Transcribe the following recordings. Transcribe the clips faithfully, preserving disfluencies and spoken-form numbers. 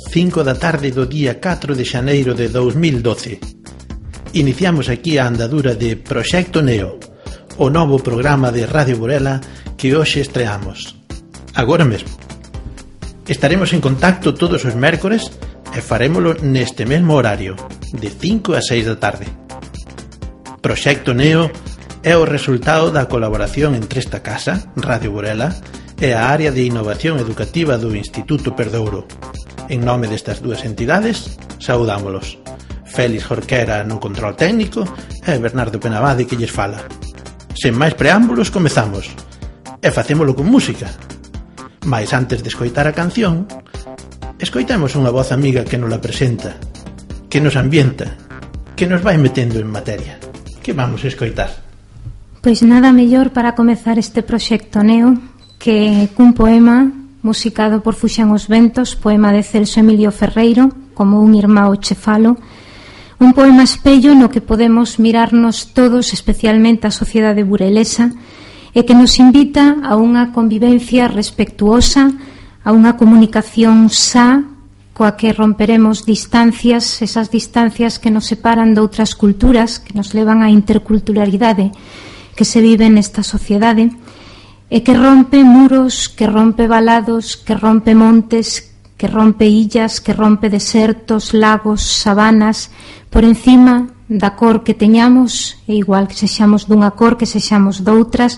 cinco da tarde do día catro de xaneiro de dous mil doce. Iniciamos aquí a andadura de Proxecto Neo, o novo programa de Radio Burela que hoxe estreamos. Agora mesmo. Estaremos en contacto todos os mércores e farémolo neste mesmo horario, de cinco a seis da tarde. Proxecto Neo é o resultado da colaboración entre esta casa, Radio Burela, e a área de innovación educativa do Instituto Perdouro. En nome destas dúas entidades, saudámolos. Félix Jorquera no control técnico e Bernardo Penabade que lles fala. Sen máis preámbulos, comezamos. E facémolo con música. Mais antes de escoitar a canción, escoitemos unha voz amiga que nos la presenta, que nos ambienta, que nos vai metendo en materia. Que vamos a escoitar? Pois nada mellor para comezar este proxecto Neo que cun poema musicado por Fuxan os Ventos, poema de Celso Emilio Ferreiro, como un irmão che falo, un poema espello no que podemos mirarnos todos, especialmente a sociedade burelesa, e que nos invita a unha convivencia respectuosa, a unha comunicación xa, coa que romperemos distancias, esas distancias que nos separan de outras culturas, que nos levan á interculturalidade que se vive nesta sociedade, e que rompe muros, que rompe valados, que rompe montes, que rompe illas, que rompe desertos, lagos, sabanas, por encima da cor que teñamos, e igual que sexamos dunha cor, que sexamos doutras,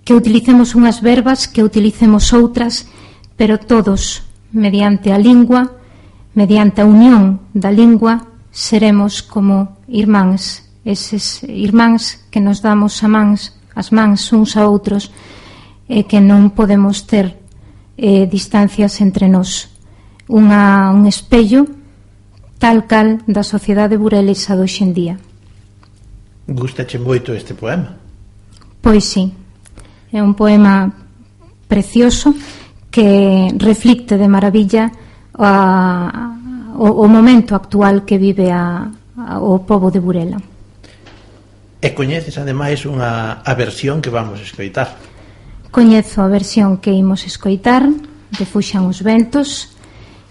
que utilicemos unhas verbas, que utilicemos outras, pero todos, mediante a lingua, mediante a unión da lingua, seremos como irmáns, eses irmáns que nos damos a mans, as mans uns a outros, e que non podemos ter eh, distancias entre nós. Unha, un espello tal cal da sociedade burelesa do hoxendía. Gústache moito este poema? Pois sí, é un poema precioso que reflicte de maravilla a, o, o momento actual que vive a, a, o pobo de Burela. E coñeces ademais unha a versión que vamos a escoitar? Coñezo a versión que imos escoitar de Fuxan os Ventos,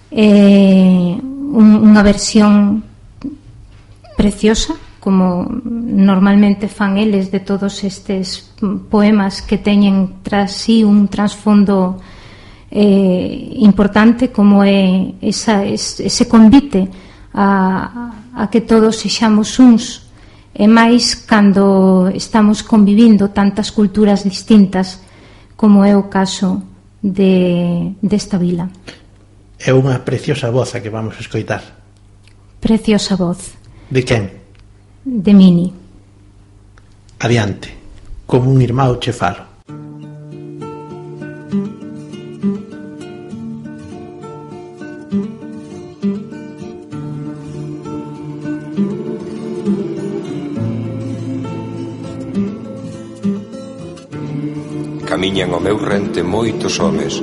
eh, un, unha versión preciosa, como normalmente fan eles de todos estes poemas que teñen tras sí un trasfondo eh, importante, como é esa, ese convite a, a que todos sexamos uns, e máis cando estamos convivindo tantas culturas distintas como é o caso de desta vila. É unha preciosa voz a que vamos a escoitar. Preciosa voz. De quen? De Mini. Adiante, como un irmão che falo. Camiñan ao meu rente moitos homes.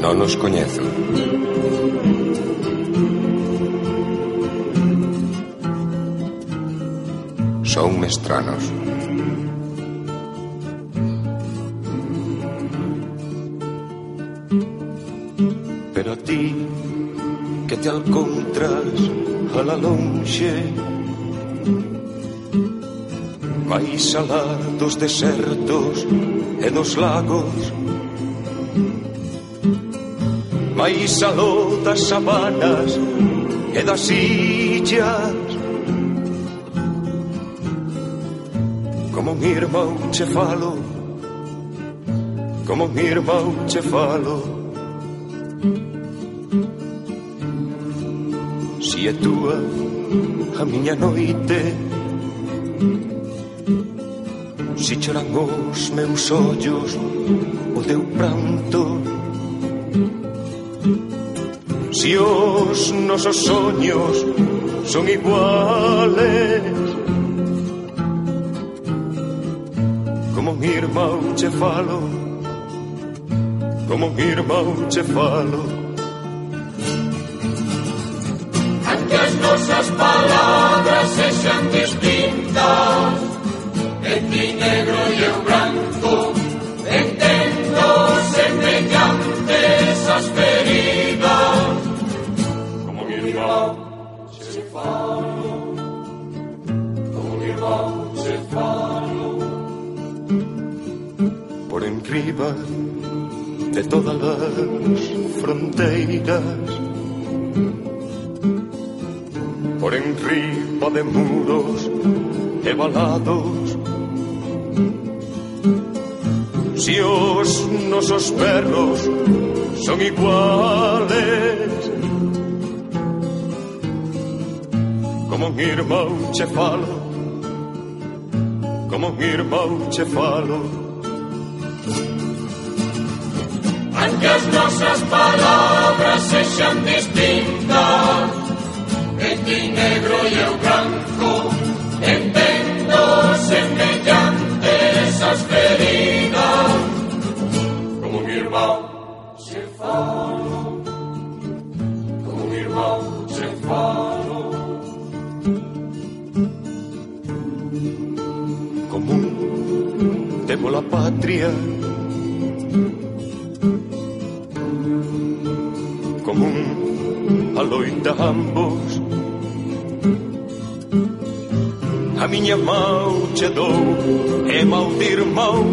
Non os coñezo. Son mestranos. Pero a ti que te alcontras a la lonxe, máis alá dos desertos e dos lagos, máis aló das sabanas e das illas, como mi irmão che falo, como mi irmão che falo. Si é túa a miña noite, si choran os meus ollos o teu pranto, si os nosos soños son iguales, como mi irmão che falo, como mi irmão che falo. Aunque as nosas palabras sexan distintas, en ti negro e eu branco, entendo sen por enriba de todas las fronteiras, por enriba de muros e valados. Si os nosos perros son iguales, como un irmão che falo, como un irmão che falo. Aunque as nosas palabras sexan distintas, en ti negro e eu branco, entendo semellantes as feridas, como un irmão che falo, como un irmão che falo. Común temos la patria, común a loita ambos. A miña mão che dou e mau de irmão,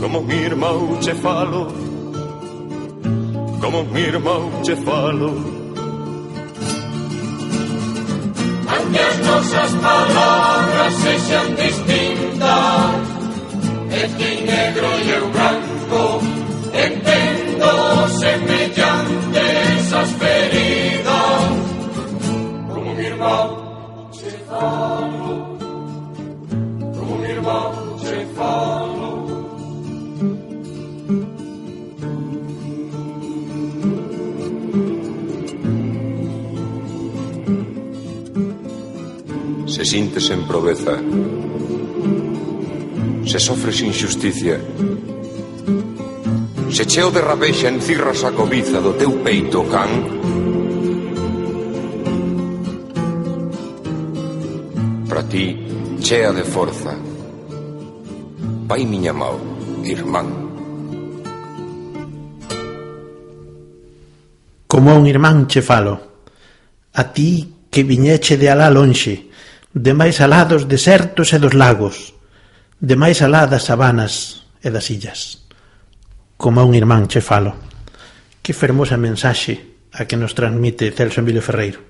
como un irmão che falo, como un irmão che falo. Aunque as nosas palabras sexan distintas, en ti negro e eu branco, entendo semellantes as feridas, como un irmão che falo, como un irmão che falo. Se sintes en proveza, se sofres injusticia, se cheo de rabexa encirras a cobiza do teu peito can, para ti chea de forza, vai miña mao, irmán. Como un irmán che falo, a ti que viñeche de alá lonxe, de máis alá dos desertos e dos lagos, de máis alá das sabanas e das illas. Como un irmán che falo. Que fermosa mensaxe a que nos transmite Celso Emilio Ferreiro.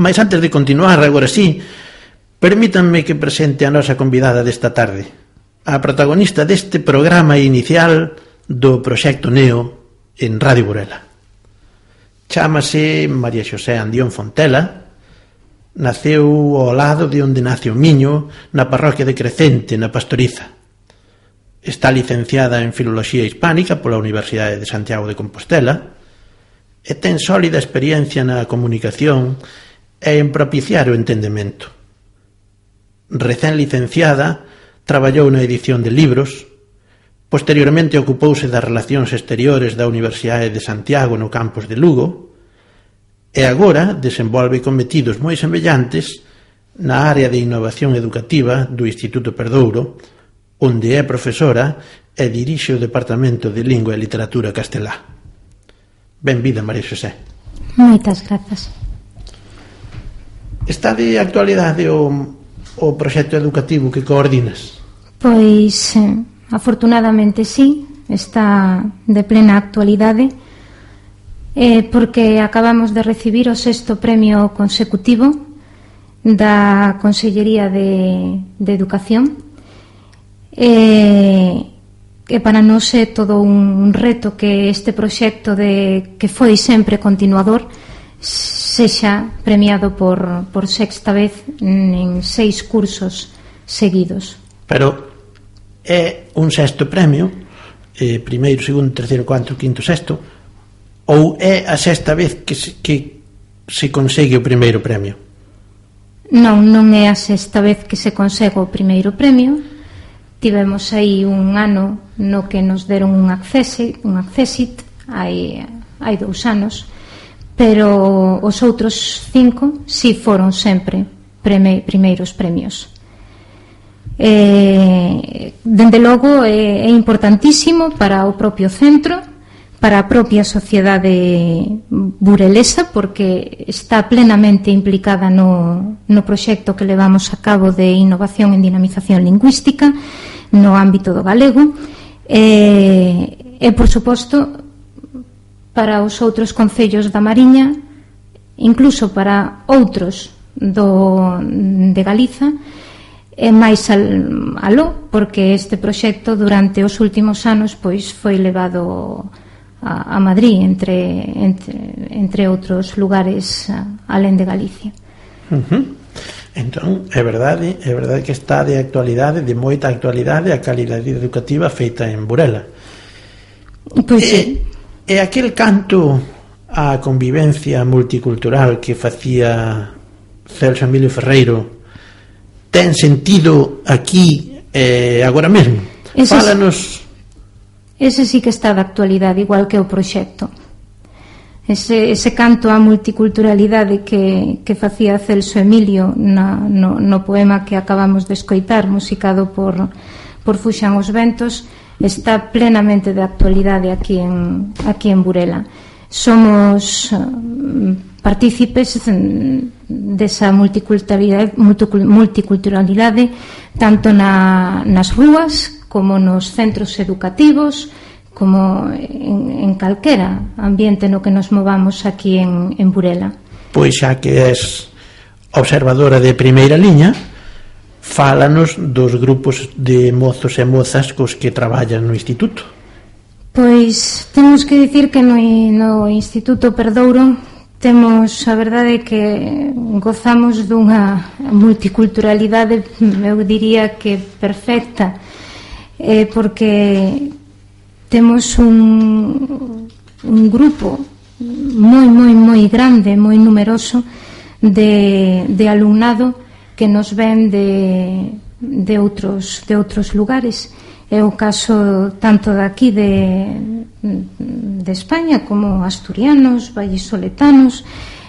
Mas antes de continuar, agora sí, permítanme que presente a nosa convidada desta tarde, a protagonista deste programa inicial do Proxecto Neo en Radio Burela. Chámase María Xosé Andión Fontela. Naceu ao lado de onde nace o Miño, na parroquia de Crecente, na Pastoriza. Está licenciada en Filoloxía Hispánica pola Universidade de Santiago de Compostela e ten sólida experiencia na comunicación e en propiciar o entendemento. Recén licenciada, traballou na edición de libros, posteriormente ocupouse das relacións exteriores da Universidade de Santiago no campus de Lugo, e agora desenvolve cometidos moi semellantes na área de innovación educativa do Instituto Perdouro, onde é profesora e dirixe o Departamento de Lingua e Literatura Castelá. Benvida, María Xosé. Moitas grazas. Está de actualidade o, o proxecto educativo que coordinas? Pois, eh, afortunadamente sí, está de plena actualidade, eh, porque acabamos de recibir o sexto premio consecutivo da Consellería de, de Educación, e, e para nós é todo un reto que este proxecto de, que foi sempre continuador sexa premiado por, por sexta vez en seis cursos seguidos. Pero é un sexto premio, eh, primeiro, segundo, terceiro, cuarto, quinto, sexto, ou é a sexta vez que se, que se consegue o primeiro premio? Non, non é a sexta vez que se consegue o primeiro premio. Tivemos aí un ano no que nos deron un accessit, un accessit hai, hai dous anos, pero os outros cinco si foron sempre preme, primeiros premios. Eh, dende logo é, é importantísimo para o propio centro para a propia sociedade burelesa, porque está plenamente implicada no, no proxecto que levamos a cabo de innovación en dinamización lingüística no ámbito do galego, e, e por suposto para os outros concellos da Mariña, incluso para outros do, de Galiza, e máis al, aló, porque este proxecto durante os últimos anos pois foi levado a, a Madrid, entre, entre, entre outros lugares a, alén de Galicia. Uh-huh. Entón, é verdade, é verdade que está de actualidade, de moita actualidade, a calidade educativa feita en Burela. Pois e, sí. E aquel canto á convivencia multicultural que facía Celso Emilio Ferreiro ten sentido aquí eh, agora mesmo? Ese Fálanos. Ese sí que está de actualidade, igual que o proxecto. Ese, ese canto á multiculturalidade que, que facía Celso Emilio na, no, no poema que acabamos de escoitar, musicado por, por Fuxan os Ventos, está plenamente de actualidade aquí en, aquí en Burela. Somos partícipes desa multiculturalidade, multiculturalidade tanto na, nas rúas como nos centros educativos, como en, en calquera ambiente no que nos movamos aquí en, en Burela. Pois xa que és observadora de primeira liña, fálanos dos grupos de mozos e mozas cos que traballan no instituto. Pois temos que dicir que no, no Instituto Perdouro temos, a verdade, que gozamos dunha multiculturalidade, eu diría que perfecta, eh, porque temos un, un grupo moi, moi, moi grande, moi numeroso de, de alumnado que nos ven de, de, outros, de outros lugares. É o caso tanto de aquí de, de España como asturianos, vallisoletanos,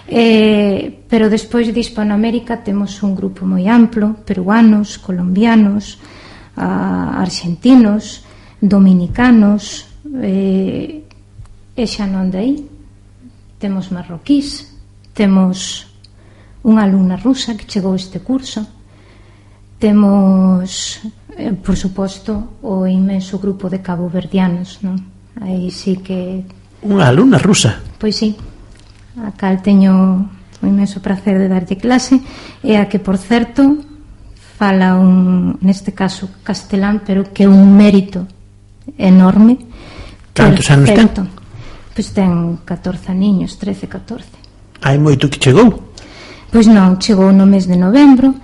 eh, pero despois de Hispanoamérica temos un grupo moi amplo, peruanos, colombianos, a, argentinos, dominicanos, eh, e xa non de aí temos marroquís, temos unha alumna rusa que chegou este curso, temos, eh, por suposto, o inmenso grupo de caboverdianos, non? Aí sí que... Unha alumna rusa? Pois sí, a cal teño o inmenso prazer de darlle clase, e a que, por certo, fala un, neste caso, castelán, pero que é un mérito enorme. Cantos anos ten? Pois ten catorce niños, trece, catorce. Hai moito que chegou? Pois non, chegou no mes de novembro.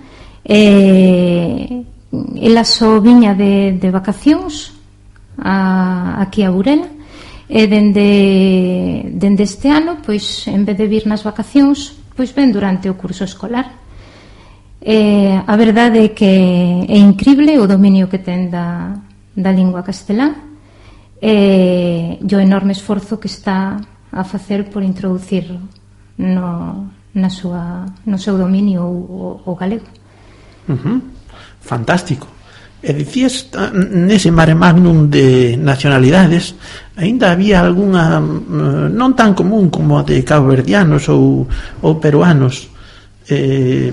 Eh, ela só viña de, de vacacións a, aquí a Burela, e dende, dende este ano, pois en vez de vir nas vacacións, pois ven durante o curso escolar. Eh, a verdade é que é incrible o dominio que ten da, da lingua castelán, e o enorme esforzo que está a facer por introducir no, na súa, no seu dominio o, o galego. Uh-huh. Fantástico. E dicías, nese mare magnum de nacionalidades, aínda había algunha non tan común como a de caboverdianos ou, ou peruanos. Eh,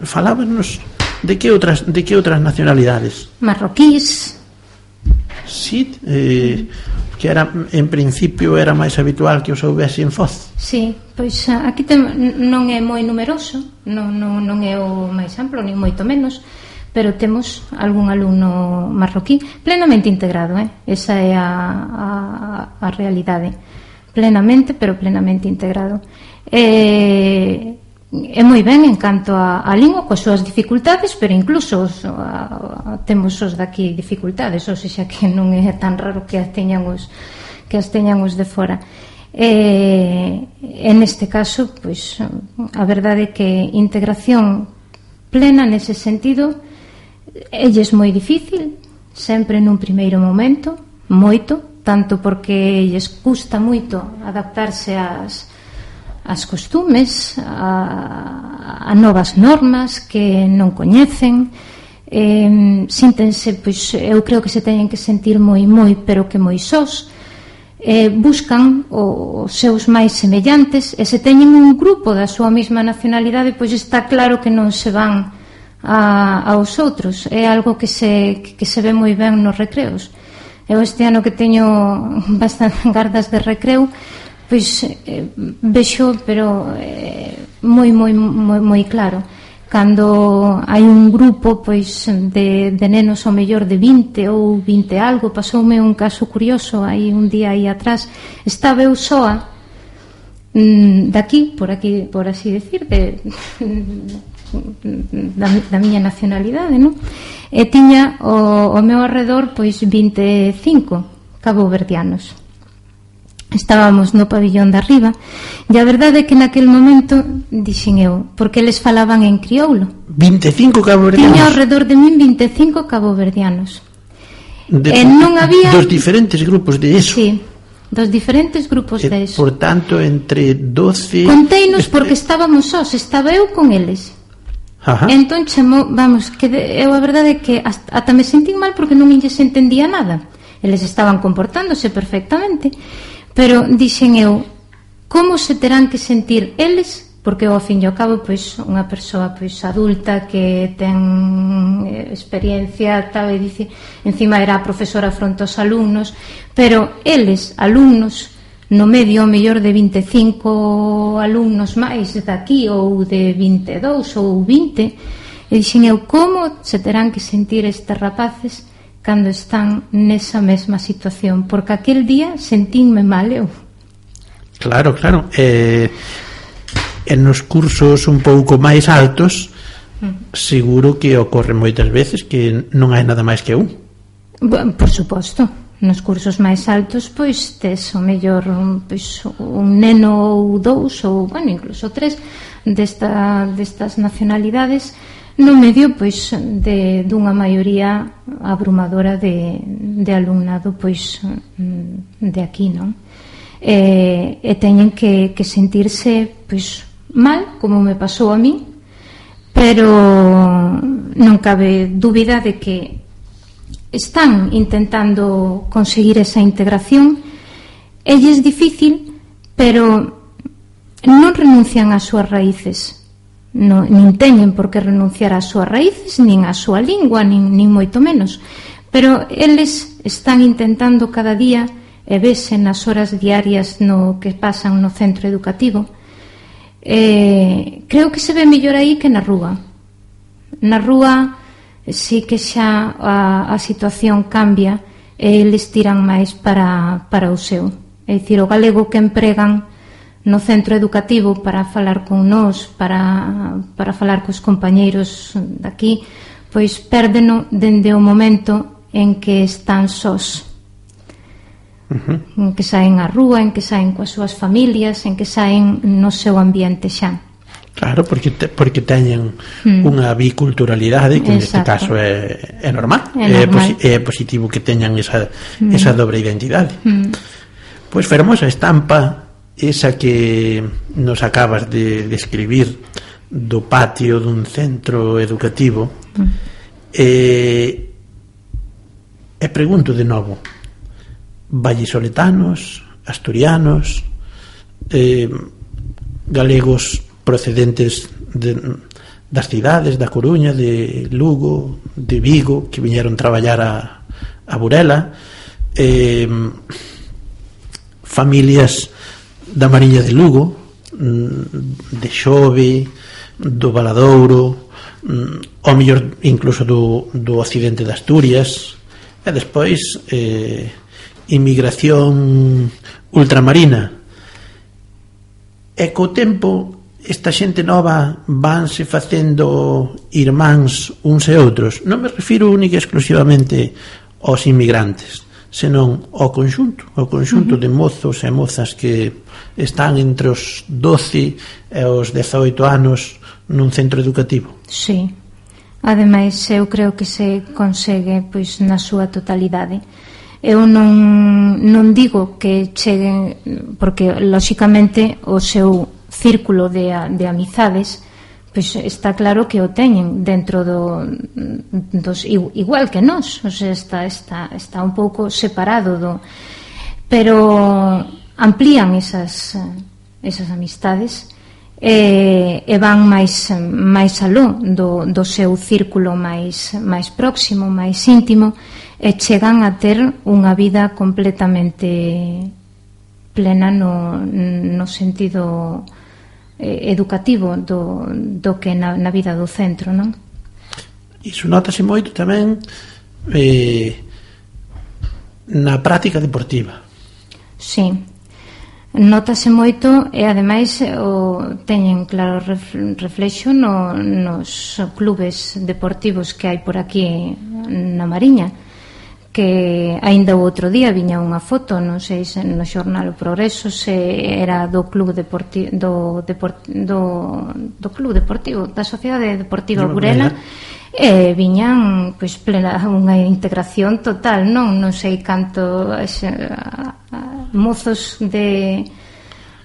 falábanos de que outras de que outras nacionalidades? Marroquís. Sí, eh, que era, en principio era máis habitual que os houbese en Foz. Sí, pois aquí tem, non é moi numeroso, non, non, non é o máis amplo, nin moito menos, pero temos algún alumno marroquí plenamente integrado, eh? Esa é a, a, a realidade, plenamente, pero plenamente integrado. E é moi ben en canto a, a lingua, coas súas dificultades, pero incluso os, a, a, temos os daqui dificultades, ou seja que non é tan raro que as teñan os, que as teñan os de fora. E, en este caso, pois, a verdade é que integración plena nese sentido elles moi difícil, sempre nun primeiro momento, moito, tanto porque lles custa moito adaptarse ás as costumes, a, a novas normas que non coñecen, eh, síntense, pois eu creo que se teñen que sentir moi, moi, pero que moi sós, eh, buscan os seus máis semellantes, e se teñen un grupo da súa mesma nacionalidade, pois está claro que non se van a, aos outros. É algo que se, que se ve moi ben nos recreos. Eu este ano que teño bastante gardas de recreo, pois eh, vexo, pero eh, moi, moi, moi, moi claro. Cando hai un grupo pois de, de nenos ao mellor de vinte ou vinte algo, pasoume un caso curioso aí un día aí atrás. Estaba eu soa daqui, por aquí, por así decir, de, da, da miña nacionalidade, non? E tiña o, o meu arredor pois vinte e cinco caboverdianos. Estábamos no pabillón de arriba, e a verdade é que naquel momento dixen eu, porque eles falaban en crioulo. vinte e cinco caboverdianos? Tiña ao redor de min vinte e cinco caboverdianos. De, e non había... Dos diferentes grupos de eso. Sí, dos diferentes grupos e, de eso. Por tanto, entre doce... Conteinos porque estábamos sós, estaba eu con eles. Ajá. Entón chamo, vamos, que de, eu a verdade é que hasta, ata me sentín mal porque non lles entendía nada. Eles estaban comportándose perfectamente. Pero dixen eu, como se terán que sentir eles, porque ao fin e ao cabo pois unha persoa pois adulta que ten experiencia tal, e dice, encima era a profesora fronte aos alumnos, pero eles, alumnos, no medio ao mellor de vinte e cinco alumnos máis daqui, ou de vinte e dous ou vinte, e dixen eu, como se terán que sentir estes rapaces cando están nesa mesma situación, porque aquel día sentínme mal eu. Claro, claro. Eh, en nos cursos un pouco máis altos, mm. seguro que ocorre moitas veces que non hai nada máis que un. Bueno, por suposto. Nos cursos máis altos, pois tes o mellor pois, un neno ou dous, ou, bueno, incluso tres desta, destas nacionalidades, no medio pois de dunha maioría abrumadora de, de alumnado pois de aquí, non? E, e teñen que, que sentirse pois mal, como me pasou a mí, pero non cabe dúbida de que están intentando conseguir esa integración. Ella é difícil, pero non renuncian ás súas raíces. No, nin teñen por que renunciar ás súas raíces, nin á súa lingua, nin, nin moito menos, pero eles están intentando cada día, e vese nas horas diarias no que pasan no centro educativo. Eh, creo que se ve mellor aí que na rúa. Na rúa sí que xa a, a situación cambia, e eles tiran máis para, para o seu. É dicir, o galego que empregan no centro educativo para falar con nós, para, para falar cos compañeiros daqui, pois pérdeno dende o momento en que están sós, uh-huh. en que saen á rúa, en que saen coas súas familias, en que saen no seu ambiente xa. Claro, porque, te, porque teñen mm. unha biculturalidade que neste caso é, é normal, é, normal. É, posi, é positivo que teñan esa, mm. esa dobre identidade. Mm. Pois fermosa estampa esa que nos acabas de describir do patio dun centro educativo. mm. e, e pregunto de novo, vallisoletanos, asturianos, eh, galegos procedentes de, das cidades da Coruña, de Lugo, de Vigo, que viñeron traballar a, a Burela, eh, familias da Mariña de Lugo, de Xove, do Valadouro, ao mellor incluso do, do occidente de Asturias, e despois eh, inmigración ultramarina. E co tempo esta xente nova vanse facendo irmáns uns e outros. Non me refiro única e exclusivamente aos inmigrantes, senón ao conxunto, ao conxunto uh-huh. de mozos e mozas que están entre os doce e os dezaoito anos nun centro educativo. Sí, ademais eu creo que se consegue pois na súa totalidade. Eu non, non digo que cheguen, porque lóxicamente o seu círculo de, de amizades pois está claro que o teñen dentro do, dos, igual que nós, o sea, está, está, está un pouco separado do, pero amplían esas, esas amistades e, e van máis, máis aló do, do seu círculo máis, máis próximo, máis íntimo, e chegan a ter unha vida completamente plena no, no sentido eh, educativo do, do que na, na vida do centro, non? Iso notase moito tamén eh, na práctica deportiva. Sí, notase moito e ademais o, teñen claro reflexo no, nos clubes deportivos que hai por aquí na Mariña, que aínda o outro día viña unha foto, non sei se no xornal O Progreso, se era do club deportivo do, deport, do, do club deportivo da Sociedade Deportiva Burela, e viñan pois plena unha integración total, non non sei canto xe, a, a, mozos de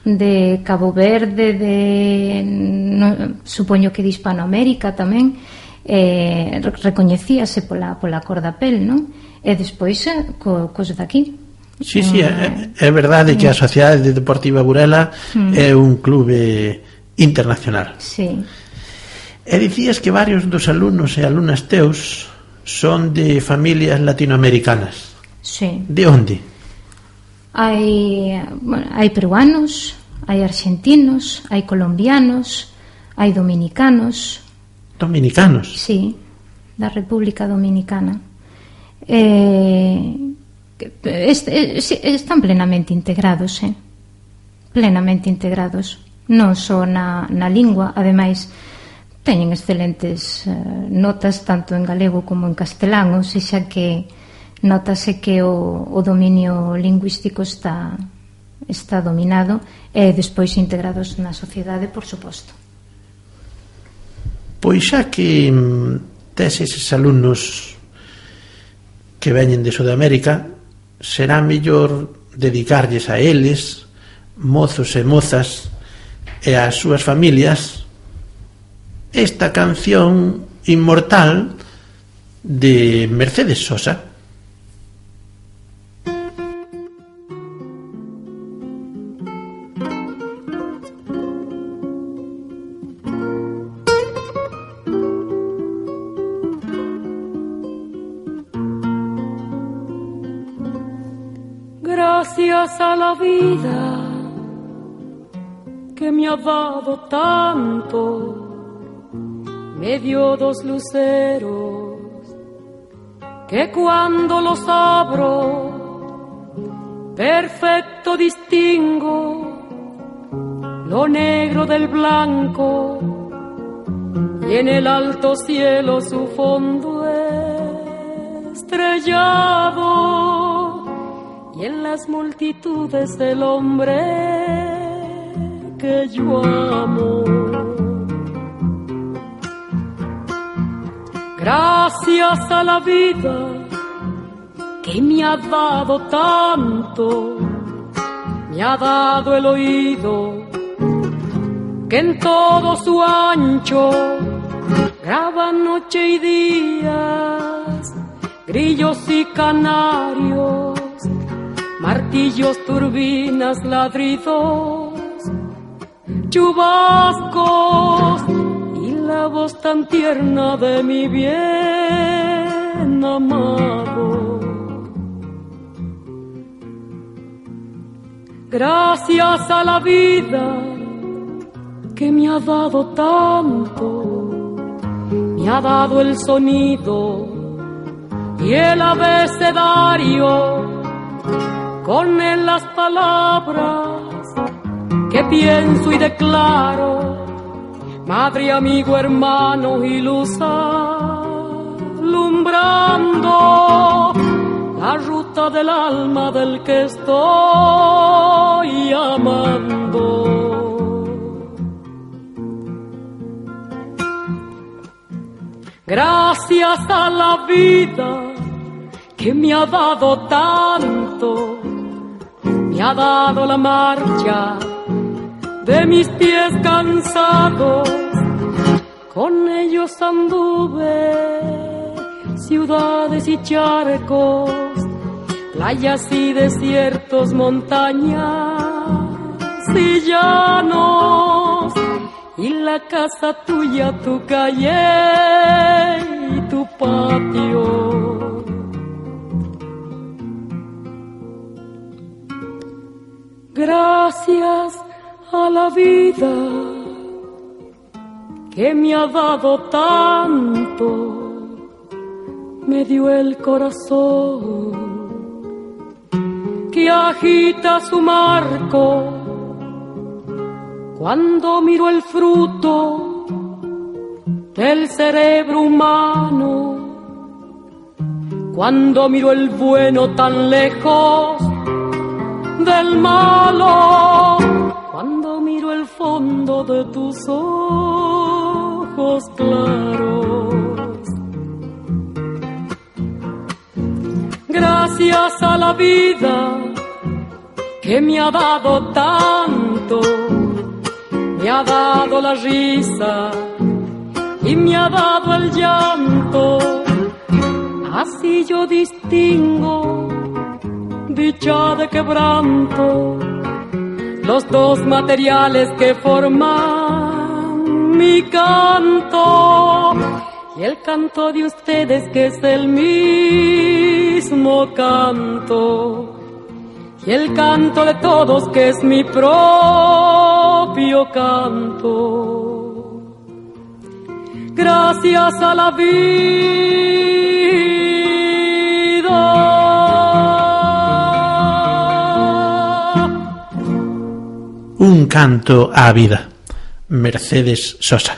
de Cabo Verde, de no, supoño que de Hispanoamérica tamén, eh, recoñecíase pola, pola cor da pel, non? E despois co, cos daqui. Sí, sí, é, é verdade que a Sociedade Deportiva Burela mm. é un clube internacional. Sí. E dicías que varios dos alumnos e alumnas teus son de familias latinoamericanas. Sí. De onde? Hai, bueno, hai peruanos, hai argentinos, hai colombianos, hai dominicanos. Dominicanos? Sí, da República Dominicana. Eh, est, est, están plenamente integrados, eh? Plenamente integrados, non só na, na lingua, ademais teñen excelentes eh, notas tanto en galego como en castelán, ou sexa que notase que o, o dominio lingüístico está, está dominado e despois integrados na sociedade, por suposto. Pois xa que tes eses alumnos que veñen de Sudamérica, será mellor dedicarlles a eles, mozos e mozas, e ás súas familias, esta canción inmortal de Mercedes Sosa. Gracias a la vida que me ha dado tanto, me dio dos luceros que cuando los abro perfecto distingo lo negro del blanco y en el alto cielo su fondo estrellado. Y en las multitudes del hombre que yo amo. Gracias a la vida que me ha dado tanto, me ha dado el oído que en todo su ancho graba noche y días, grillos y canarios, martillos, turbinas, ladridos, chubascos y la voz tan tierna de mi bien amado. Gracias a la vida que me ha dado tanto, me ha dado el sonido y el abecedario, con él las palabras que pienso y declaro, madre, amigo, hermano y luz alumbrando la ruta del alma del que estoy amando. Gracias a la vida que me ha dado tanto, me ha dado la marcha de mis pies cansados, con ellos anduve ciudades y charcos, playas y desiertos, montañas y llanos, y la casa tuya, tu calle y tu patio. Gracias a la vida que me ha dado tanto, me dio el corazón que agita su marco cuando miro el fruto del cerebro humano, cuando miro el bueno tan lejos del malo, cuando miro el fondo de tus ojos claros. Gracias a la vida que me ha dado tanto, me ha dado la risa y me ha dado el llanto, así yo distingo dicha de quebranto, los dos materiales que forman mi canto, y el canto de ustedes que es el mismo canto, y el canto de todos que es mi propio canto. Gracias a la vida. Un canto á vida. Mercedes Sosa.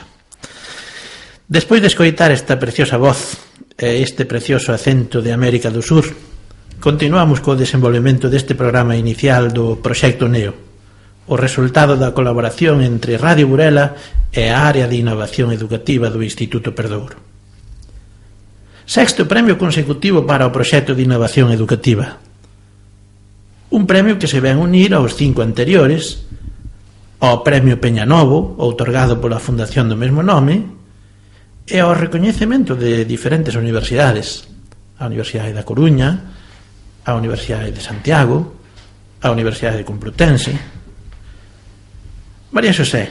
Despois de escoitar esta preciosa voz e este precioso acento de América do Sur, continuamos co desenvolvemento deste programa inicial do Proxecto Neo, o resultado da colaboración entre Radio Burela e a área de innovación educativa do Instituto Perdouro. Sexto premio consecutivo para o proxecto de innovación educativa. Un premio que se ven unir aos cinco anteriores, ao Premio Peñanovo, outorgado pola Fundación do mesmo nome, e ao recoñecemento de diferentes universidades, a Universidade da Coruña, a Universidade de Santiago, a Universidade Complutense. María Xosé,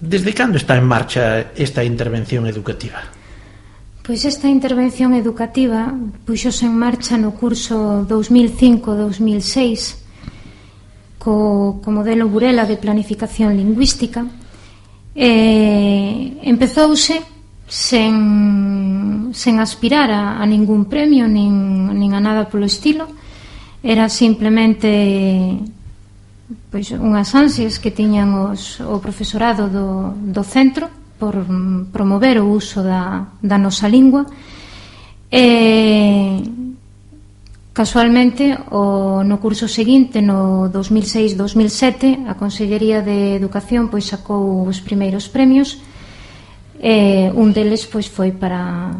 desde cando está en marcha esta intervención educativa? Pois esta intervención educativa puxose en marcha no curso dous mil cinco dous mil seis co, co modelo Burela de planificación lingüística. E empezouse sen, sen aspirar a, a ningún premio nin, nin a nada polo estilo. Era simplemente pois unhas ansias que tiñan os, o profesorado do, do centro por promover o uso da, da nosa lingua. E casualmente o, no curso seguinte, no dous mil seis dous mil sete, a Consellería de Educación pois sacou os primeiros premios. E un deles pois foi para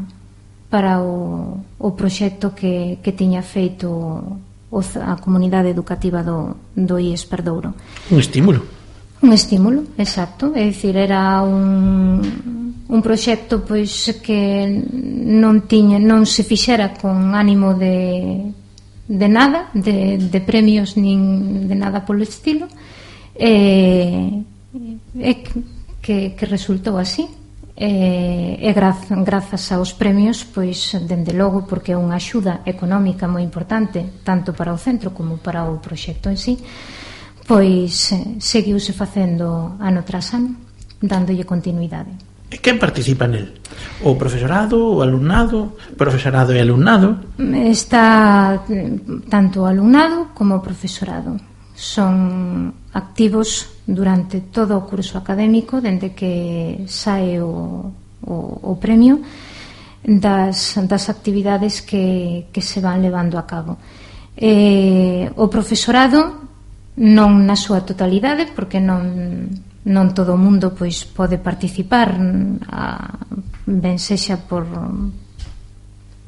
para o, o proxecto que, que tiña feito o, a comunidade educativa do, do I E S Perdouro. Un estímulo. Un estímulo, exacto. É dicir, era un, un proxecto pois que non tiña, non se fixera con ánimo de, de nada, de, de premios nin de nada polo estilo, e, e que, que resultou así. E, e graz, grazas aos premios, pois dende logo, porque é unha axuda económica moi importante tanto para o centro como para o proxecto en sí, pois seguiuse facendo ano tras ano, dándolle continuidade. E quen participa nel? O profesorado, o alumnado? Profesorado e alumnado? Está tanto o alumnado como o profesorado. Son activos durante todo o curso académico, dende que sae o, o, o premio, das, das actividades que, que se van levando a cabo. E, o profesorado non na súa totalidade, porque non, non todo o mundo pois pode participar, a, ben sexa por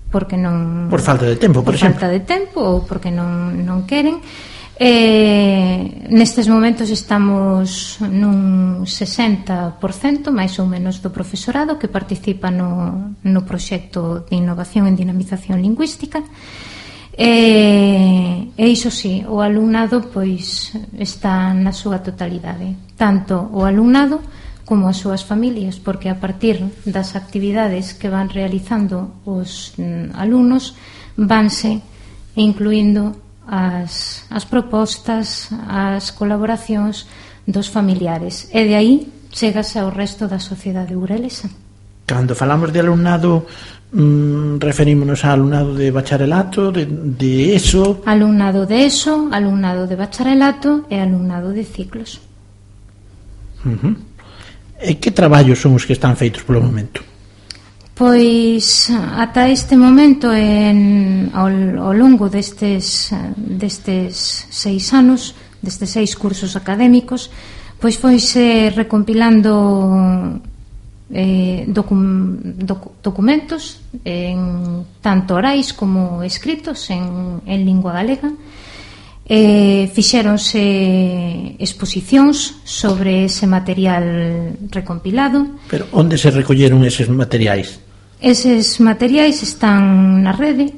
porque non por falta de tempo, por, por exemplo. falta de tempo ou porque non, non queren. E nestes momentos estamos nun sesenta por cento máis ou menos do profesorado que participa no, no proxecto de innovación en dinamización lingüística, E, e iso sí, o alumnado pois está na súa totalidade, tanto o alumnado como as súas familias, porque a partir das actividades que van realizando os mm, alumnos vanse incluindo as, as propostas, as colaboracións dos familiares, e de aí chegase ao resto da sociedade burelesa. Cando falamos de alumnado, mm, referímonos a alumnado de bacharelato, de, de ESO... Alumnado de ESO, alumnado de bacharelato e alumnado de ciclos. Uh-huh. E que traballos son os que están feitos polo momento? Pois ata este momento, en, ao, ao longo destes, destes seis anos, destes seis cursos académicos, pois foise recompilando eh, docu, docu, documentos en, tanto orais como escritos en, en lingua galega. Eh, fixéronse exposicións sobre ese material recompilado. Pero onde se recolleron eses materiais? Eses materiais están na rede,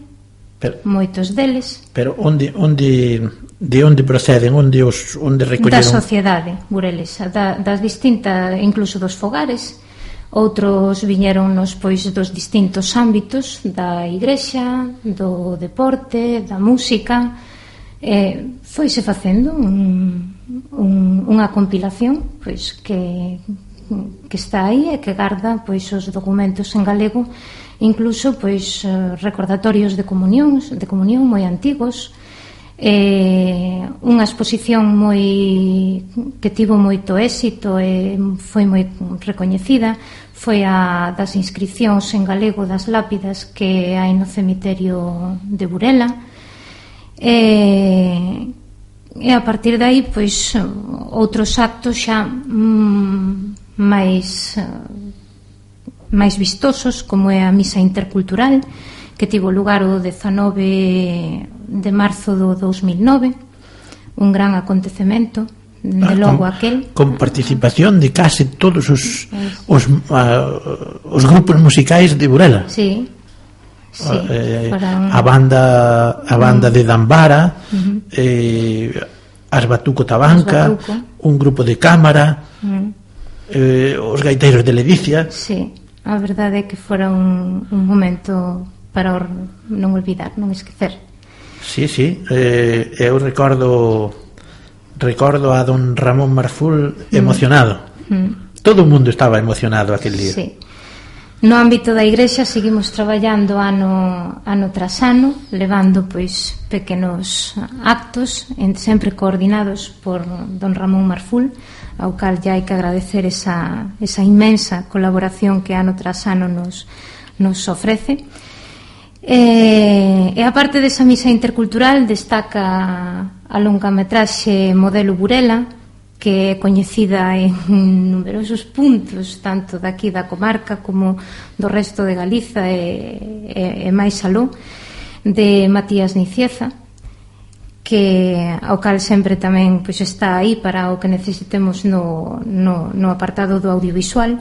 pero, moitos deles. Pero onde, onde, de onde proceden, onde os onde recolleron? Da sociedade burelesa, da, das distintas, incluso dos fogares. Outros viñeronnos pois dos distintos ámbitos, da igrexa, do deporte, da música. Eh, foise facendo un, un, unha compilación pois que, que está aí e que garda pois os documentos en galego, incluso pois recordatorios de comunións, de comunión moi antigos, eh, unha exposición moi que tivo moito éxito e foi moi recoñecida, foi a das inscripcións en galego das lápidas que hai no cemiterio de Burela. E, e a partir de aí pois outros actos xa mm, máis máis vistosos, como é a misa intercultural que tivo lugar o dezanove de marzo do dous mil nove, un gran acontecemento de logo con, aquel con participación de case todos os os, uh, os grupos musicais de Burela. Sí. Sí, eh, un... a banda a banda uh-huh. de Dambara, uh-huh. eh, as Batuco Tabanca, Batuco. Un grupo de cámara, uh-huh. eh, os gaiteiros de Ledicia. Sí, a verdade é que fora un, un momento para or, non olvidar, non esquecer. Sí, sí, eh, eu recordo recordo a don Ramón Marful emocionado. Uh-huh. Todo o mundo estaba emocionado aquel día. Sí. No ámbito da igrexa seguimos traballando ano, ano tras ano, levando pois pequenos actos, sempre coordinados por don Ramón Marful, ao cal ya hai que agradecer esa, esa inmensa colaboración que ano tras ano nos, nos ofrece. E, e a parte desa misa intercultural destaca a longametraxe Modelo Burela, que é coñecida en numerosos puntos, tanto daqui da comarca como do resto de Galiza e, e, e máis aló, de Matías Nicieza, que ao cal sempre tamén pois, está aí para o que necesitemos no, no, no apartado do audiovisual.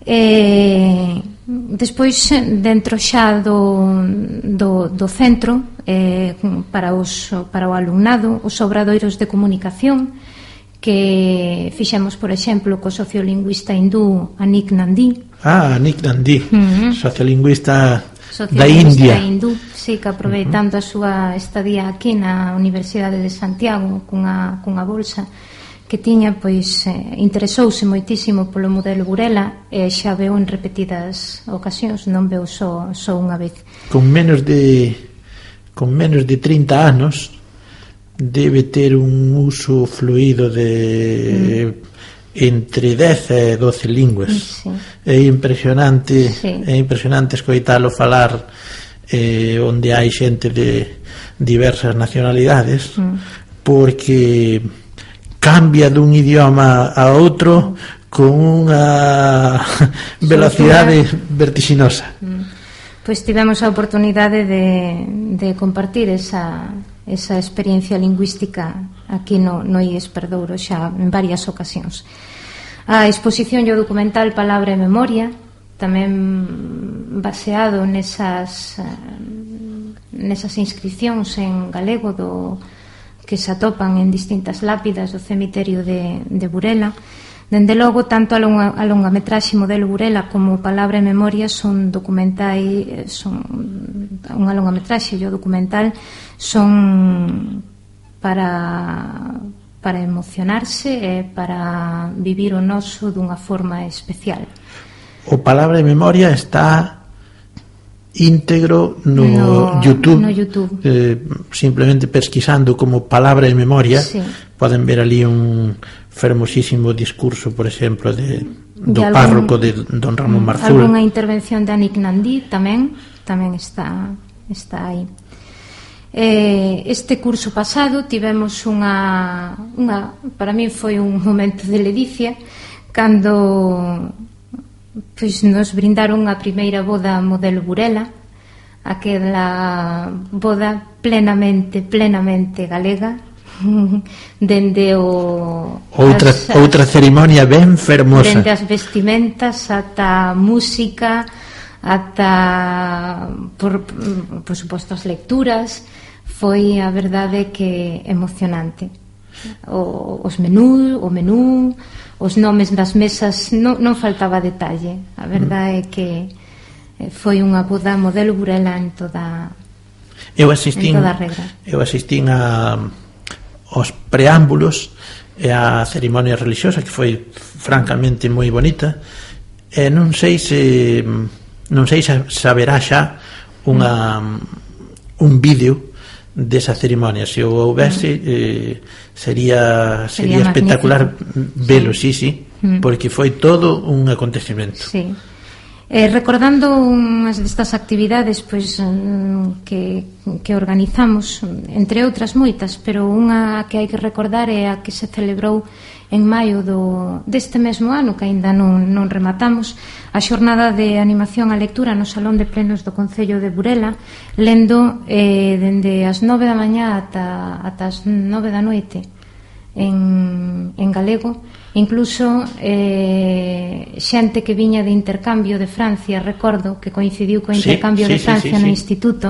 E despois, dentro xa do, do, do centro, eh, para, os, para o alumnado, os obradoiros de comunicación, que fixemos, por exemplo, co sociolingüista hindú Anik Nandi. Ah, Anik Nandi, uh-huh. sociolingüista, sociolingüista da India. Hindú, sí, que aproveitando uh-huh. a súa estadía aquí na Universidade de Santiago cunha, cunha bolsa que tiña, pois eh, interesouse moitísimo polo modelo Burela e xa veo en repetidas ocasións, non veo só, só unha vez. Con menos de con menos de trinta anos debe ter un uso fluido de mm. entre dez e doce linguas. Sí. É impresionante, sí. é impresionante escoitalo falar eh, onde hai xente de diversas nacionalidades, mm. porque cambia dun idioma a outro con unha velocidade vertiginosa. Mm. Pois tivemos a oportunidade de, de compartir esa esa experiencia lingüística aquí no, no I E S Perdouro xa en varias ocasións. A exposición e o documental Palabra e Memoria, tamén baseado nesas nesas inscripcións en galego do que se atopan en distintas lápidas do cemiterio de, de Burela. Dende logo, tanto a, longa, a longametraxe Modelo Burela como Palabra e Memoria son documentais, son unha longametraxe e o documental son para, para emocionarse e para vivir o noso dunha forma especial. O Palabra e Memoria está íntegro no, no YouTube, no YouTube. Eh, simplemente pesquisando como Palabra e Memoria, sí. Poden ver ali un fermosísimo discurso, por exemplo, de, do de algún, párroco de don Ramón Marzul. Alguna intervención de Anik Nandí tamén tamén está está aí. Eh, este curso pasado tivemos unha, unha para mí foi un momento de ledicia cando pois nos brindaron a primeira boda Modelo Burela, aquela boda plenamente plenamente galega, dende o outra, as, outra cerimonia ben fermosa, dende as vestimentas ata a música, ata por, por suposto as lecturas. Foi a verdade que emocionante. O, os menú, o menú, os nomes das mesas, non, non faltaba detalle. A verdade é que foi unha boda Modelo Burela en toda eu asistín, en toda a regra. Eu asistín a os preámbulos e a cerimonia religiosa, que foi francamente moi bonita, e non sei se non sei se saberá xa unha un vídeo desa cerimonia. Se o houvese, eh, sería sería, sería espectacular velo, sí, sí, sí, porque foi todo un acontecemento. Sí. Eh, recordando unhas destas actividades pois, que, que organizamos, entre outras moitas, pero unha que hai que recordar é a que se celebrou en maio do, deste mesmo ano, que aínda non, non rematamos, a xornada de animación á lectura no Salón de Plenos do Concello de Burela, lendo eh, dende as nove da mañá ata, ata as nove da noite en, en galego. Incluso eh, xente que viña de intercambio de Francia, recordo que coincidiu co intercambio sí, sí, de Francia sí, sí, no sí. Instituto,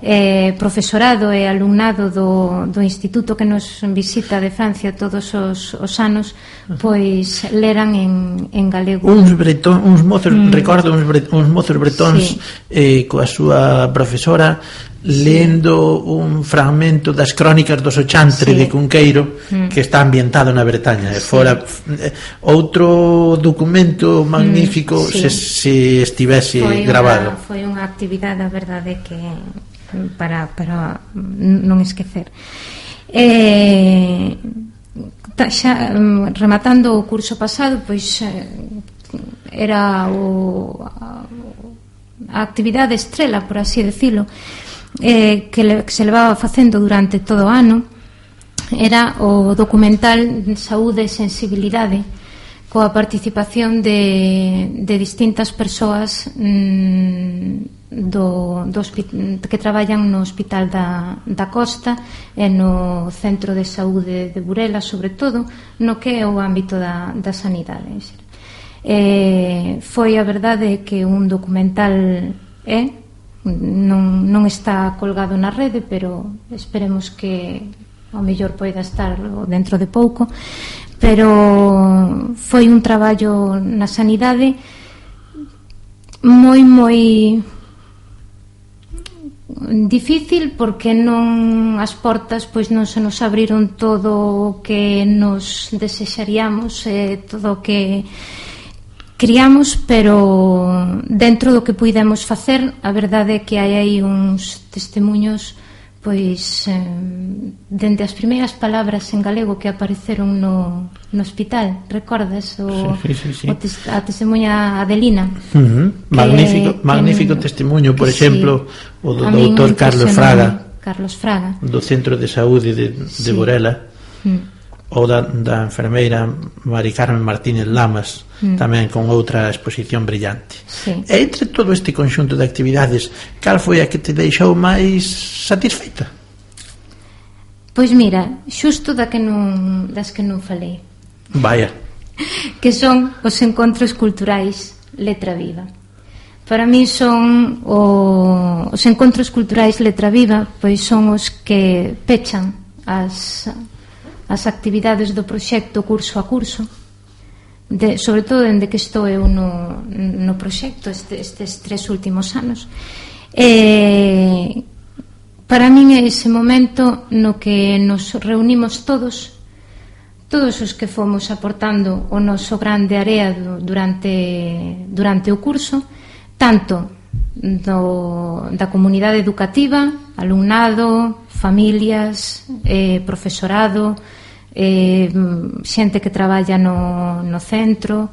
eh, profesorado e alumnado do, do instituto que nos visita de Francia todos os, os anos, pois leran en, en galego uns, bretón, uns mozos, mm. recordo uns, bre, uns mozos bretóns sí. eh, coa súa profesora lendo sí. un fragmento das crónicas dos Ochantre sí. de Cunqueiro, mm. que está ambientado na Bretaña, e sí. fora eh, outro documento magnífico mm. sí. se, se estivese foi grabado. Unha, foi unha actividade, a verdade, que para, para non esquecer. Eh, xa, rematando o curso pasado, pois era o, a actividade estrela, por así decirlo, eh, que, le, que se levaba facendo durante todo o ano, era o documental Saúde e Sensibilidade, coa participación de, de distintas persoas mmm, do, do que traballan no Hospital da, da Costa e no Centro de Saúde de Burela, sobre todo no que é o ámbito da, da sanidade. Eh, foi a verdade que un documental é, non, non está colgado na rede, pero esperemos que ao mellor poida estar dentro de pouco, pero foi un traballo na sanidade moi moi difícil, porque non as portas pois non se nos abriron todo o que nos desexaríamos e todo o que criamos, pero dentro do que puidemos facer, a verdade é que hai aí uns testemunhos pois eh, dende as primeiras palabras en galego que apareceron no, no hospital, recordas o, sí, sí, sí. o tes, a testemunha Adelina, uh-huh. magnífico, que, magnífico que, testemunho, por exemplo sí, o do doutor Carlos Fraga Carlos Fraga do Centro de Saúde de, de sí. Burela, mm. ou da, da enfermeira Mari Carmen Martínez Lamas, mm. tamén con outra exposición brillante. Sí. E entre todo este conxunto de actividades, cal foi a que te deixou máis satisfeita? Pois mira, xusto da que non, das que non falei. Vaya. Que son os encontros culturais Letra Viva. Para mí son o, os encontros culturais Letra Viva, pois son os que pechan as, as actividades do proxecto curso a curso, de, sobre todo dende que estou eu no, no proxecto este, estes tres últimos anos. E para min é ese momento no que nos reunimos todos todos os que fomos aportando o noso grande area durante, durante o curso, tanto do, da comunidade educativa, alumnado, familias, eh, profesorado, eh, xente que traballa no, no centro,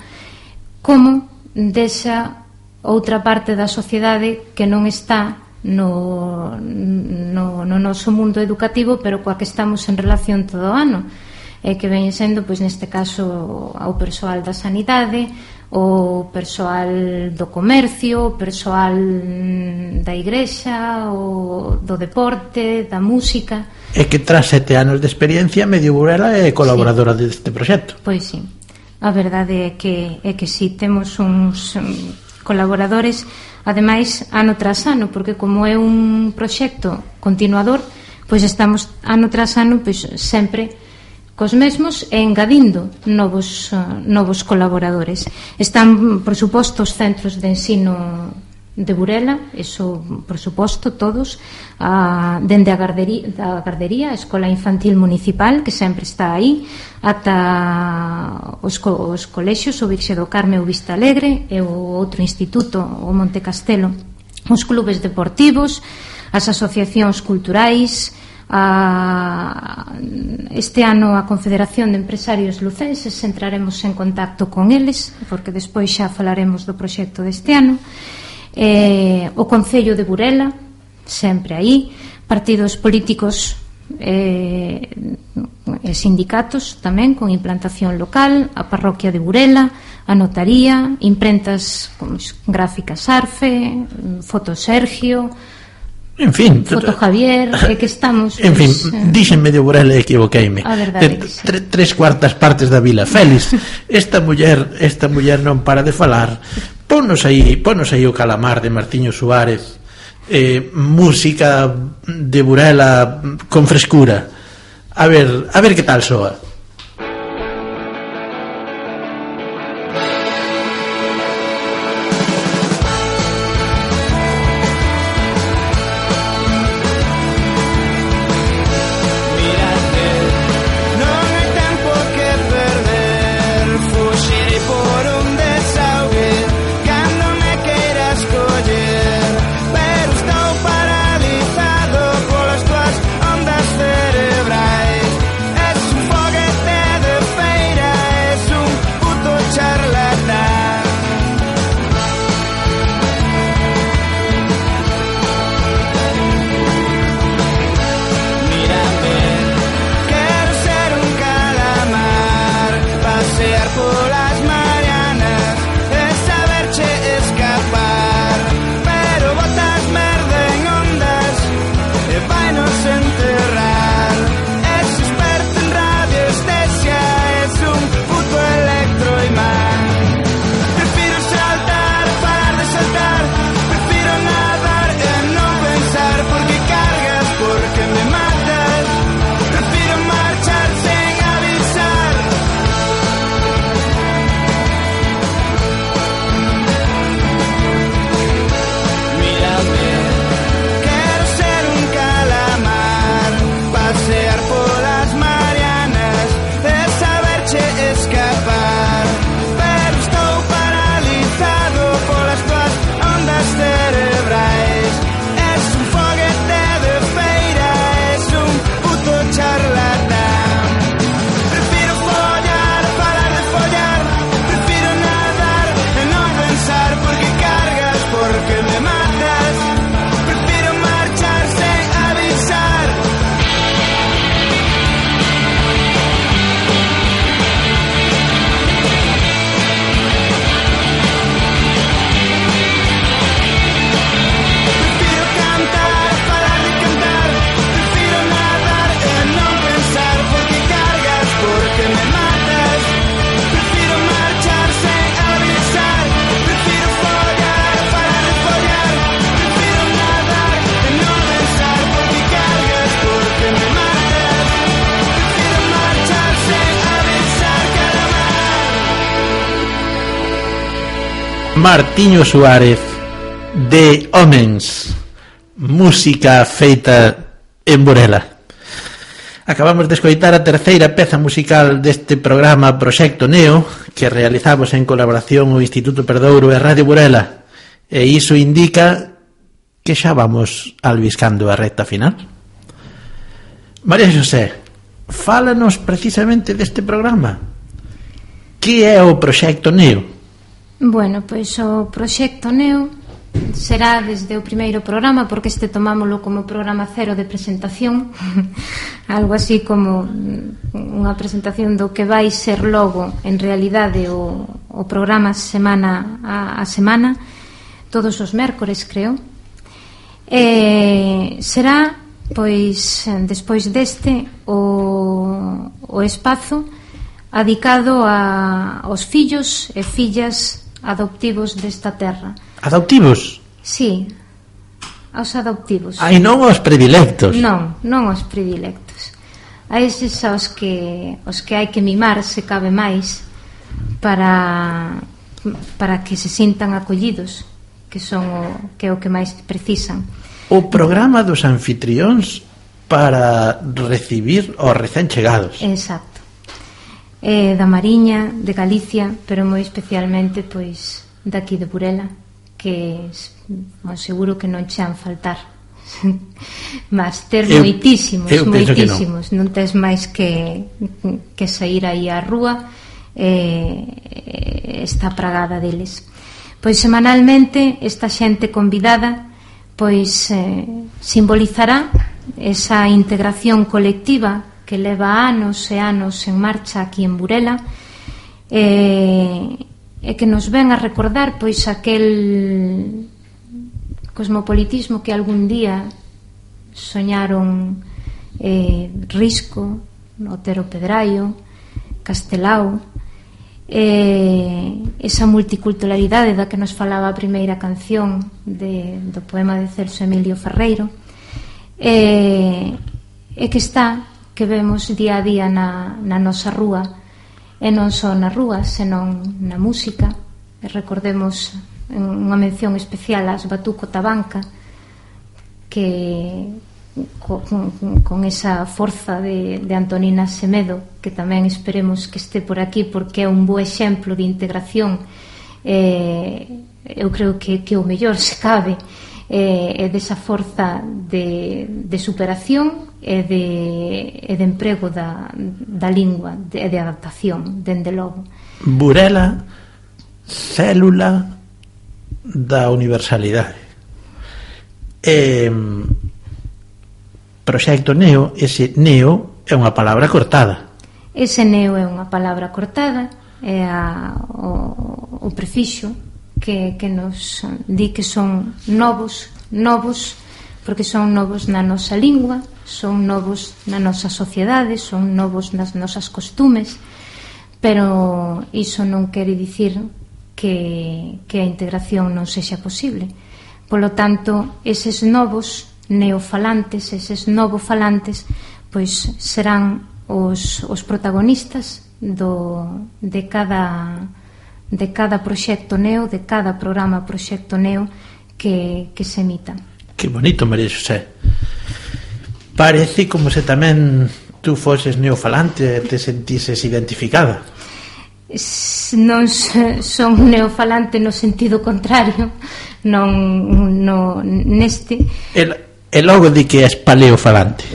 como desa outra parte da sociedade que non está no, no, no noso mundo educativo, pero coa que estamos en relación todo o ano, e que ven sendo, pois neste caso, ao persoal da sanidade, o persoal do comercio, o persoal da igrexa, o do deporte, da música. E que tras sete anos de experiencia, Medio Burela é colaboradora sí. deste proxecto. Pois sí, a verdade é que, é que sí, temos uns colaboradores, ademais, ano tras ano, porque como é un proxecto continuador, pois estamos ano tras ano, pois sempre cos mesmos e engadindo novos, uh, novos colaboradores. Están, por suposto, os centros de ensino de Burela, eso, por suposto, todos, uh, dende a gardería, da gardería, a Escola Infantil Municipal, que sempre está aí, ata os, co os colexios, o Virxe do Carme, o Vista Alegre, e o outro instituto, o Monte Castelo, os clubes deportivos, as asociacións culturais. A, este ano a Confederación de Empresarios Lucenses, entraremos en contacto con eles, porque despois xa falaremos do proxecto deste ano, eh, o Concello de Burela, sempre aí, partidos políticos eh, e sindicatos tamén con implantación local, a Parroquia de Burela, a Notaría, imprentas como Gráficas Arfe, Foto Sergio, en fin, Foto Javier, é que estamos, en fin, pues, dixen Medio Burela e equivoqueime. A verdade que sí. Tre, tres cuartas partes da vila. Félix, esta muller, esta muller non para de falar. Ponos aí, ponos aí o Calamar de Martiño Suárez, eh, música de Burela con frescura. A ver, a ver que tal soa. Paralizado por las tuas ondas cerebrais. Es un fogue Martiño Suárez, de Homens, música feita en Burela. Acabamos de escoitar a terceira peza musical deste programa Proxecto Neo, que realizamos en colaboración o Instituto Perdouro e Radio Burela, e iso indica que xa vamos albiscando a recta final. María Xosé, fálanos precisamente deste programa. Que é o Proxecto Neo? Bueno, pois o Proxecto Neo será desde o primeiro programa, porque este tomámoslo como programa cero de presentación, algo así como unha presentación do que vai ser logo en realidade o, o programa semana a, a semana, todos os mércores, creo. E será, pois, despois deste o, o espazo adicado a, aos fillos e fillas adoptivos desta terra. Adoptivos? Sí, aos adoptivos. Ai, non aos predilectos. Non, non aos predilectos. A eses aos que os que hai que mimar, se cabe máis, para para que se sintan acollidos, que son o que é o que máis precisan. O programa dos anfitrións para recibir os recén chegados. Exacto. Eh, da Mariña, de Galicia, pero moi especialmente pois daqui de Burela, que bon, seguro que non chan faltar. Mas ter eu, moitísimos, eu moitísimos, non. non tes máis que que sair aí á rúa, eh, está pragada deles. Pois semanalmente esta xente convidada pois eh, simbolizará esa integración colectiva que leva anos e anos en marcha aquí en Burela, e, e que nos ven a recordar pois aquel cosmopolitismo que algún día soñaron eh, Risco, Otero Pedraio, Castelao, eh, esa multiculturalidade da que nos falaba a primeira canción de, do poema de Celso Emilio Ferreiro, eh, e que está que vemos día a día na, na nosa rúa, e non só na rúa, senón na música. E recordemos unha mención especial ás Batuco Tabanca, que con, con esa forza de, de Antonina Semedo, que tamén esperemos que este por aquí, porque é un bo exemplo de integración. eh, eu creo que, que o mellor se cabe é eh, desa forza de, de superación e de, e de emprego da, da lingua e de, de adaptación, dende logo. Burela, célula da universalidade. E, Proxecto Neo, ese neo é unha palabra cortada. Ese neo é unha palabra cortada, é a, o, o prefixo que, que nos di que son novos, novos, porque son novos na nosa lingua, son novos na nosa sociedade, son novos nas nosas costumes, pero iso non quere dicir que, que a integración non sexa posible. Polo tanto, eses novos neofalantes, eses novofalantes, pois serán os, os protagonistas do, de cada de cada proxecto neo, de cada programa proxecto neo que, que se emita. Que bonito, María Xosé. Parece como se tamén tú foses neofalante e te sentises identificada. Non son neofalante no sentido contrario, non no, neste. El, e logo di que és paleofalante.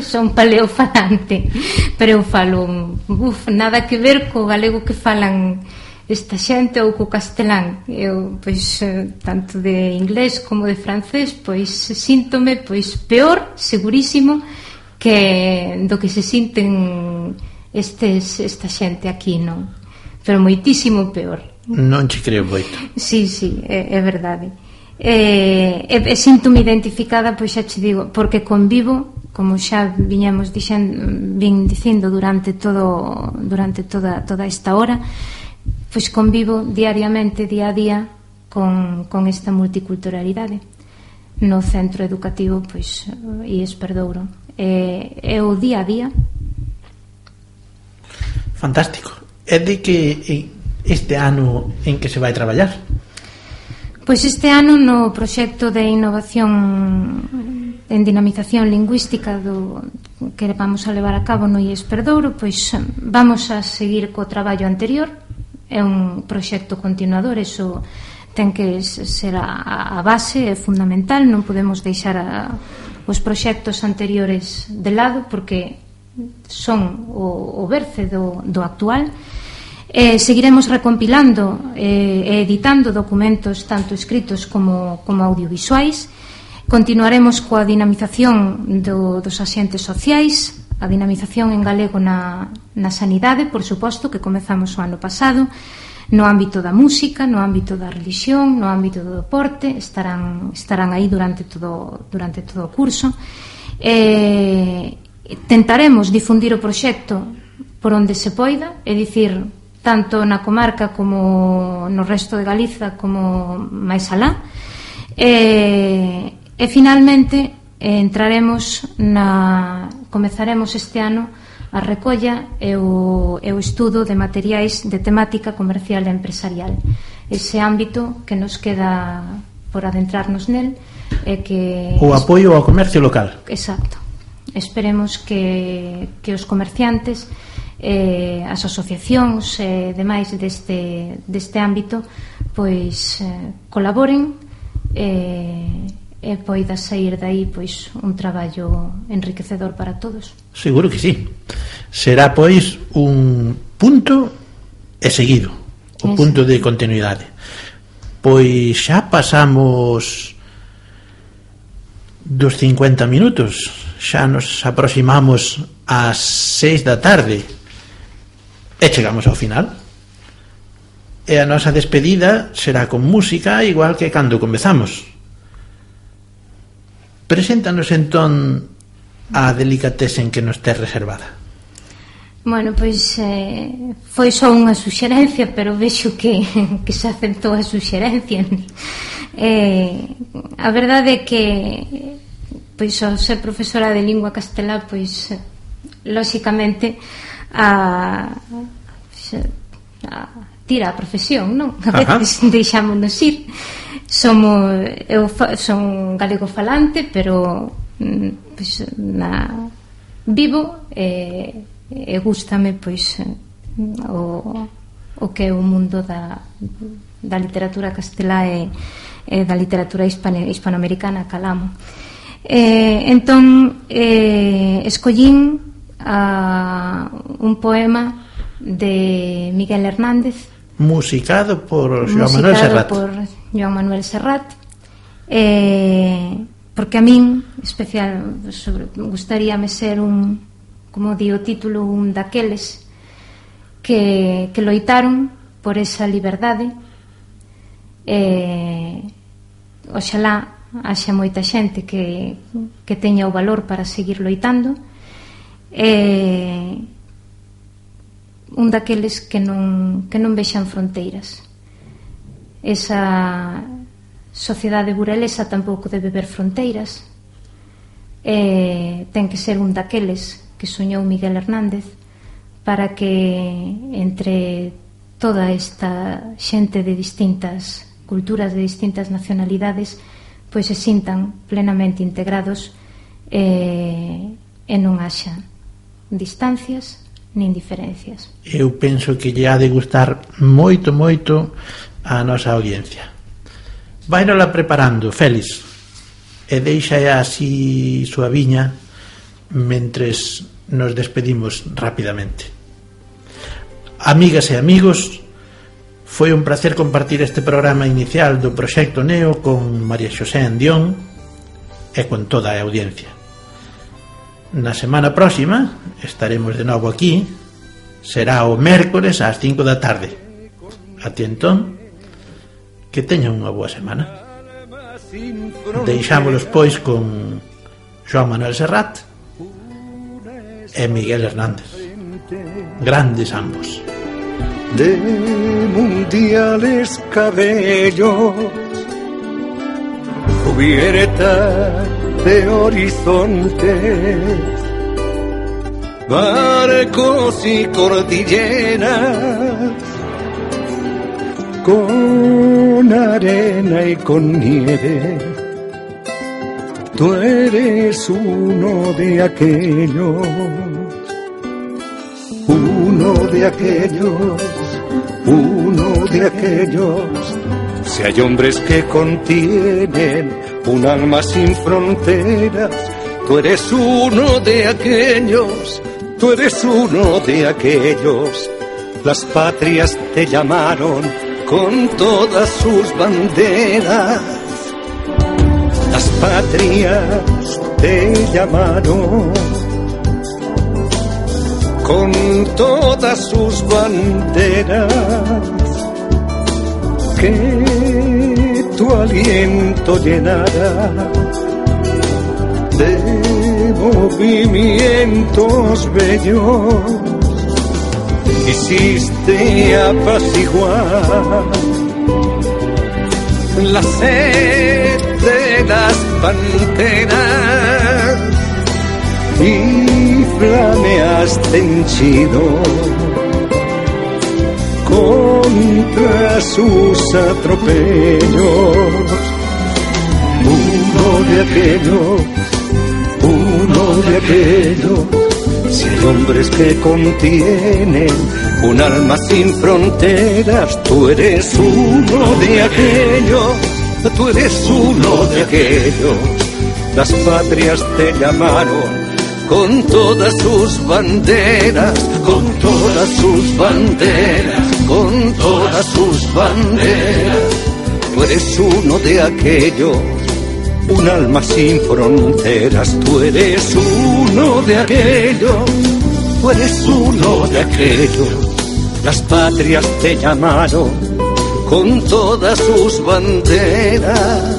Son paleofalante, pero eu falo uf, nada que ver co galego que falan esta xente ou co castelán. Eu, pois, tanto de inglés como de francés, pois síntome pois peor, segurísimo, que do que se sinten estes, esta xente aquí, non? Pero moitísimo peor. Non che creo moito. Sí, sí, é, é verdade. E, e, e sinto-me identificada, pois xa che digo, porque convivo, como xa viñamos dixendo, vin dicindo durante todo durante toda, toda esta hora, pois convivo diariamente, día a día, con, con esta multiculturalidade no centro educativo, pois, I E S Perdouro. É, é o día a día. Fantástico. É de que este ano en que se vai traballar? Pois este ano no proxecto de innovación en dinamización lingüística do que vamos a levar a cabo no I E S Perdouro, pois vamos a seguir co traballo anterior. É un proxecto continuador, eso ten que ser a, a base, é fundamental, non podemos deixar a, os proxectos anteriores de lado porque son o, o berce do, do actual. Eh, seguiremos recompilando e eh, editando documentos tanto escritos como, como audiovisuais. Continuaremos coa dinamización do, dos axentes sociais, a dinamización en galego na, na sanidade, por suposto, que comezamos o ano pasado, no ámbito da música, no ámbito da religión, no ámbito do deporte, estarán, estarán aí durante todo, durante todo o curso. Eh, tentaremos difundir o proxecto por onde se poida, é dicir, tanto na comarca como no resto de Galiza como máis alá. E, e finalmente entraremos na comezaremos este ano a recolla e o, e o estudo de materiais de temática comercial e empresarial, ese ámbito que nos queda por adentrarnos nel e que o apoio ao comercio local. Exacto. Esperemos que, que os comerciantes, eh, as asociacións e eh, demais deste, deste ámbito pois eh, colaboren e, e poida sair dai pois un traballo enriquecedor para todos. Seguro que sí. Será pois un punto e seguido, o punto de continuidade. Pois xa pasamos dos cincuenta minutos, xa nos aproximamos ás seis da tarde e chegamos ao final. E a nosa despedida será con música igual que cando comezamos. Preséntanos entón a delicatesen que nos tes reservada. Bueno, pois eh, foi só unha suxerencia, pero vexo que, que se aceptou a suxerencia. Eh, a verdade é que pois ao ser profesora de lingua castelá, pois lóxicamente a, a tira a profesión, non? A veces deixámonos ir. Somos, eu son galego falante, pero pois, na, vivo e, e gústame pois o, o que é o mundo da, da literatura castelá e, e da literatura hispano, hispanoamericana calamo. Eh, entón eh, escollín a, un poema de Miguel Hernández, musicado por Joan Manuel Serrat, por Joan Manuel Serrat, eh, porque a min especial sobre, gustaríame ser un, como di o título, un daqueles que, que loitaron por esa liberdade. eh, oxalá haxa moita xente que, que teña o valor para seguir loitando, e un daqueles que non, que non vexan fronteiras. Esa sociedade burelesa tampouco debe ver fronteiras, e ten que ser un daqueles que soñou Miguel Hernández para que entre toda esta xente de distintas culturas, de distintas nacionalidades, pois se sintan plenamente integrados e, e non haxa distancias nin diferencias. Eu penso que lle ha de gustar moito, moito a nosa audiencia. Vainola preparando, Félix, e deixa así suaviña mentres nos despedimos rapidamente. Amigas e amigos, foi un placer compartir este programa inicial do Proxecto Neo con María Xosé Andión e con toda a audiencia. Na semana próxima estaremos de novo aquí, será o mércores ás cinco da tarde. Até entón, que teñan unha boa semana. Deixámolos pois con Joan Manuel Serrat e Miguel Hernández, grandes ambos. De mundiales cabellos, cubierta de horizontes, barcos y cordilleras, con con arena y con nieve. Tú eres uno de aquellos, uno de aquellos, uno de aquellos. Si hay hombres que contienen un alma sin fronteras, tú eres uno de aquellos, tú eres uno de aquellos. Las patrias te llamaron con todas sus banderas. Las patrias te llamaron con todas sus banderas. Que tu aliento llenara de movimientos bellos. Hiciste apaciguar la sed de las panteras y flameaste henchido contra sus atropellos. Uno de aquellos, uno de aquellos. Si hay hombres que contienen un alma sin fronteras, tú eres uno de aquellos, tú eres uno de aquellos. Las patrias te llamaron con todas sus banderas, con todas sus banderas, con todas sus banderas. Tú eres uno de aquellos, un alma sin fronteras. Tú eres uno de aquellos, tú eres uno de aquellos. Las patrias te llamaron con todas sus banderas,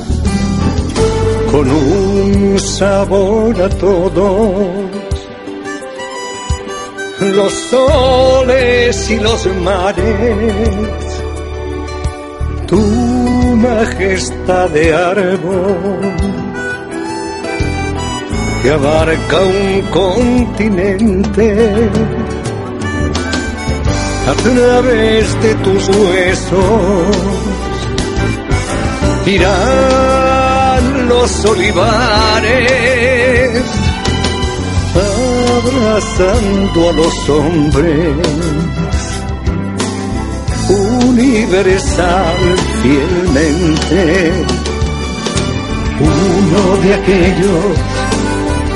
con un sabor a todos los soles y los mares. Tu majestad de árbol que abarca un continente, a través de tus huesos irán los olivares, abrazando a los hombres, universal fielmente. Uno de aquellos,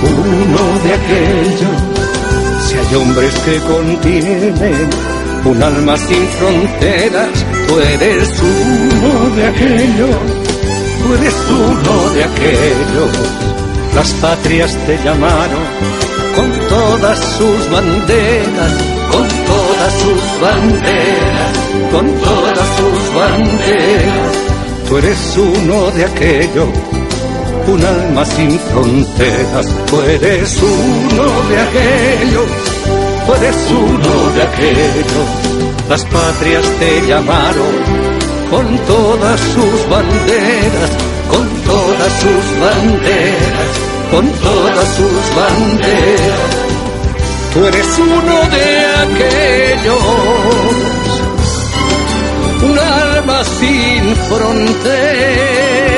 uno de aquellos. Si hay hombres que contienen un alma sin fronteras, tú eres uno de aquellos, tú eres uno de aquellos. Las patrias te llamaron con todas sus banderas, con todas sus banderas, con todas sus banderas. Tú eres uno de aquellos, un alma sin fronteras. Tú eres uno de aquellos, tú eres uno de aquellos. Las patrias te llamaron con todas sus banderas, con todas sus banderas, con todas sus banderas. Tú eres uno de aquellos, un alma sin fronteras.